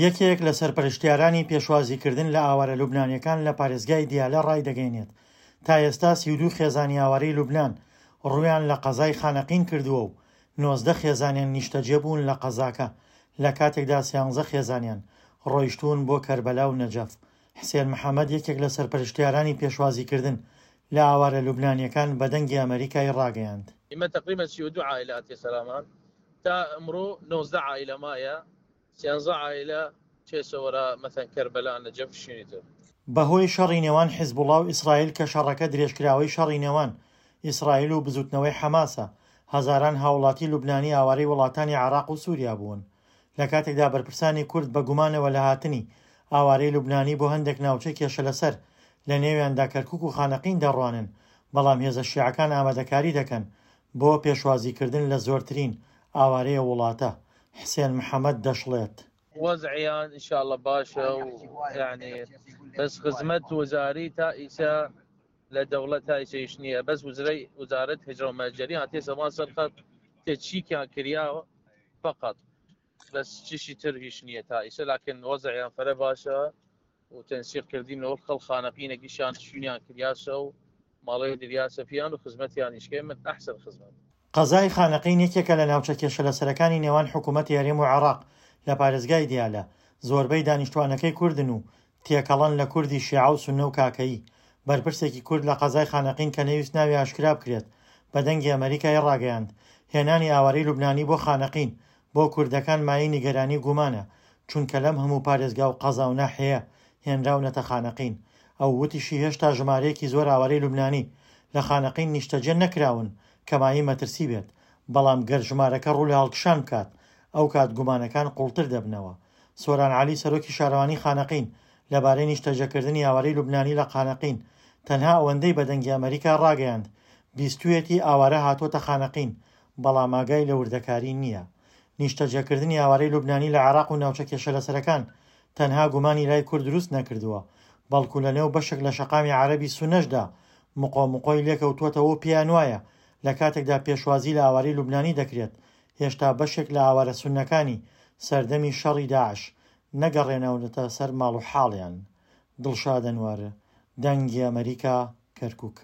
یەکێک لە سەرپەرشتیارانی پێشوازیکردن لە ئاوارە لوبنانیەکان لە پارێزگای دیالە ڕایدەگەینێت، تا ئێستا 32 خێزانی ئاوارەی لوبنان ڕوویان لە قەزای خانەقین کردووە و 19 خێزانیان نیشتەجێبوون لە قەزاکە، لە کاتێکدا سیانزە خێزانیان ڕۆیشتوون بۆ کەربەلا و نەجەف. حسێن محەمەد یەکێک لە سەرپەرشتیارانی پێشوازیکردن لە ئاوارە لوبنانیەکان بە دەنگی ئەمەریکای ڕاگەیاند. ئیمە تەقریبەن 32 عائلە هاتیە سەرامان تا ئمڕوو 19 عائلە مایە سیانزە عائلە چێسە وەرا مەثەن کەربەلا نەجەف شوینی تر. بەهۆی شەڕی نێوان حیزبوڵا و ئیسرائیل کە شەڕەکە درێژکراوەی شەڕی نێوان ئیسرائیل و بزوتنەوەی حەماسە، هەزاران هاوڵاتی لوبنانی ئاوارەی وڵاتانی عێراق و سوریا بوون. لە کاتێکدا بەرپرسانی کورد بە گومانەوە لە هاتنی ئاوارەی لوبنانی بۆ هەندێک ناوچەی کێشەلەسەر لە نێویاندا کەرکوک و خانەقین دەڕوانن، بەڵام هێزە شیعەکان ئامادەکاری دەکەن بۆ پێشوازیکردن لە زۆرترین ئاوارەی ئەو وڵاتە. حسێن محەمەد دەشڵێت. وەزعیان ان شاء اللە باشە و یانی بەس خزمەت وزاری تا ئیسە لە دەوڵەت تا ئیسەیش نییە بەس وزرەی وزارەت هجرە و مهجرین هاتیە زەمان سەر خەت تێچیکیان کریاوە فقط بەس چیشی تر هیچ نییە تا ئیسە لاکن وەزعیان فەرە باشە و تەنسیق کردیم لەوەڵ خەڵ خانەقینە گشیان شوینیان کریاسە و ماڵێ دریاسە پیان و خزمەتیانیش کەیمن ئەحسن خزمەت. قەزای خانەقین یەکێکە لە ناوچە کێشەلەسەرەکانی نێوان حکوومەتی هەرێم و عێراق لە پارێزگای دیالە، زۆربەی دانیشتووانەکەی کوردن و تێکەڵەن لە کوردی شیعە و سوننە و کاکەیی. بەرپرسێکی کورد لە قەزای خانەقین کە نەیویست ناوی ئاشکرا بکرێت بە دەنگی ئەمەریکای ڕاگەیاند، هێنانی ئاوارەی لوبنانی بۆ خانەقین بۆ کوردەکان مایەی نیگەرانی و گومانە، چونکە لەم هەموو پارێزگا و قەزا و ناحیەیە هێنراونەتە خانەقین. ئەو وتیشی هێشتا ژمارەیەکی زۆر ئاوارەی لوبنانی لە خانەقین نیشتەجێ نەکراون کە مایەی مەترسی بێت، بەڵام گەر ژمارەکە ڕوو لە هەڵکشان بکات ئەوکات گومانەکان قوڵتر دەبنەوە. سۆران عەلی سەرۆکی شارەوانی خانەقین لەبارەی نیشتەجێکردنی ئاوارەی لوبنانی لە قانەقین تەنها ئەوەندەی بە دەنگی ئەمەریکا ڕاگەیاند بیستویەتی ئاوارە هاتووەتە خانەقین بەڵام ئاگای لە وردەکاری نییە. نیشتەجێکردنی ئاوارەی لوبنانی لە عێراق و ناوچە کێشەلەسەرەکان تەنها گومانی لای کورد دروست نەکردووە، بەڵکو لەنێو بەشێک لە شەقامی عەرەبی سوننەشدا مقۆ مقۆی لێکەوتووەتەوە و پێیانوایە لە کاتێکدا پێشوازی لە ئاوارەی لوبنانی دەکرێت هێشتا بەشێک لە ئاوارە سوننەکانی سەردەمی شەڕی داعش نەگەڕێناونەتە سەر ماڵ و حاڵیان. دڵشاد ئەنوەر، دەنگی ئەمەریکا، کەرکوک.